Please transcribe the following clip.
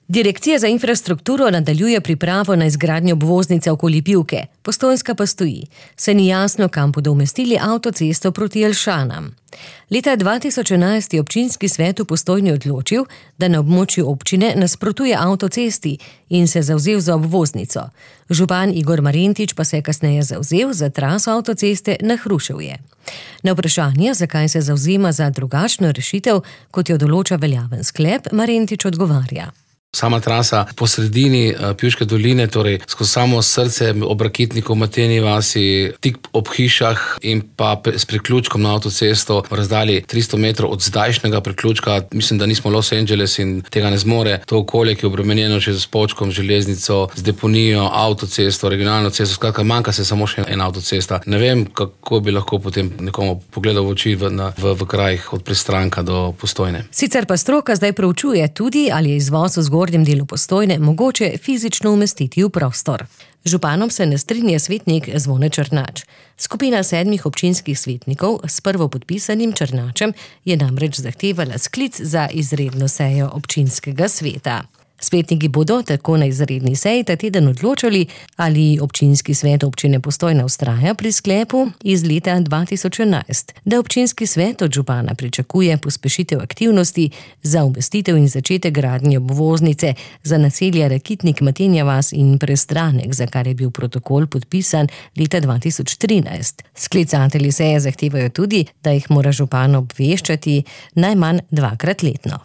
Direkcija za infrastrukturo nadaljuje pripravo na izgradnjo obvoznice okoli Pivke. Postojnska pa stoji. Se ni jasno, kam bodo umestili avtocesto proti Jelšanam. Leta 2011 je občinski svet v Postojni odločil, da na območju občine nasprotuje avtocesti in se zavzel za obvoznico. Župan Igor Marentič pa se je kasneje zavzel za traso avtoceste na Hruševje. Na vprašanje, zakaj se zavzema za drugačno rešitev, kot jo določa veljaven sklep, Marentič odgovarja. Sama trasa po sredini Pivške doline, torej skozi samo srce ob Rakitniku, Mateni vasi, tik ob hišah in pa s priključkom na avtocesto v razdalji 300 metrov od zdajšnjega priključka. Mislim, da nismo Los Angeles in tega ne zmore. To okolje, ki je obremenjeno še z Počkom, železnico, z deponijo, avtocesto, regionalno cesto, skratka, manjka se samo še ena avtocesta. Ne vem, kako bi lahko potem nekomu pogledal v oči v krajih od Pristranka do Postojne. Sicer pa stroka zdaj proučuje tudi, ali je izvoz v zgornjem delu Postojne mogoče fizično umestiti v prostor. Županom se ne strinja svetnik Zvone Črnač. Skupina 7 občinskih svetnikov s prvopodpisanim Črnačem je namreč zahtevala sklic za izredno sejo občinskega sveta. Svetniki bodo tako na izredni seji ta teden odločali, ali občinski svet občine Postojna vztraja pri sklepu iz leta 2011, da občinski svet od župana pričakuje pospešitev aktivnosti za umestitev in začetek gradnje obvoznice za naselja Rakitnik, Matenja vas in Prestranek, za kar je bil protokol podpisan leta 2013. Sklicatelji seje zahtevajo tudi, da jih mora župan obveščati najmanj 2-krat letno.